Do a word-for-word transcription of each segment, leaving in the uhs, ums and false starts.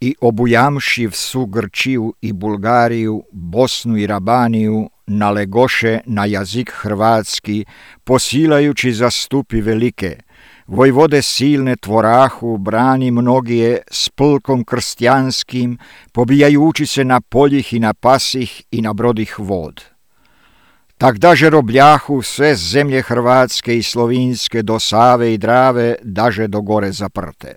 i obujamši vsu Grčiju i Bulgariju, Bosnu i Rabaniju, nalegoše na jazik hrvatski, posilajući zastupi velike, vojvode silne tvorahu, brani mnogije s plkom krstijanskim, pobijajući se na poljih i na pasih i na brodih vod. Tak daže robljahu sve zemlje hrvatske i slovinske do Save i Drave, daže do gore zaprte.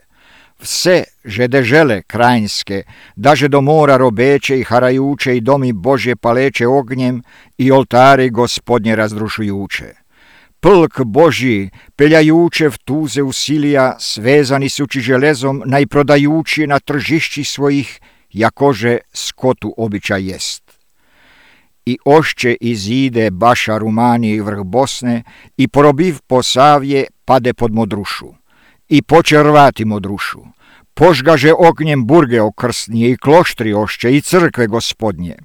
Vse žedežele krajinske, daže do mora robeće i harajuće i domi Božje paleće ognjem i oltari Gospodnje razdrušujuće. Plk Božji, peljajuće v tuze usilija, svezani suči železom, najprodajući na tržišći svojih, jakože skotu običaj jest. I ošće izide Baša Rumanije i vrh Bosne i porobiv Posavje pade pod Modrušu. I poče rvati Modrušu. Požgaže ognjem burge okrsnije i kloštri ošće i crkve Gospodnje.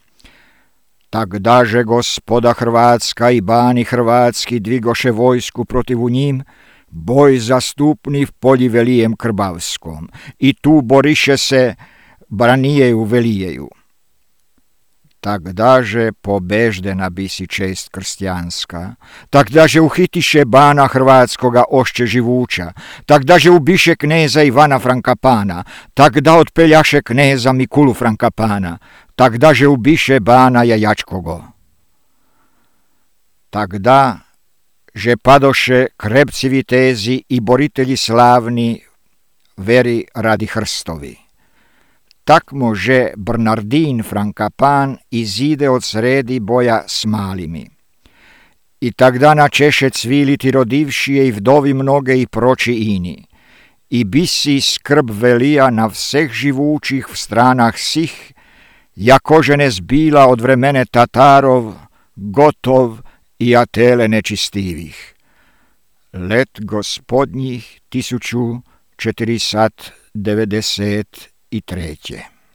Tak daže Gospoda Hrvatska i bani hrvatski dvigoše vojsku protivu njim, boj zastupni v polji velijem Krbavskom. I tu boriše se branijeju velijeju. Tak daže pobeždena bisi čest krstijanska, tak daže uhitiše bana hrvatskoga ošće živuća, tak daže ubiše kneza Ivana Frankapana, tak da otpeljaše kneza Mikulu Frankapana, tak daže ubiše bana Jajačkogo. Tak da, že padoše krepci vitezi i boritelji slavni, veri radi hrstovi. Tak može Bernardin Frankapan izide od sredi boja s malimi. I tak dana češe cviliti rodivšije i vdovi mnoge i proči ini. I bisi skrb velija na vseh živućih v stranah sih, jakože ne zbila od vremene Tatarov, Gotov i Atele nečistivih. Let Gospodnjih tisuću četirista devedeset i treće.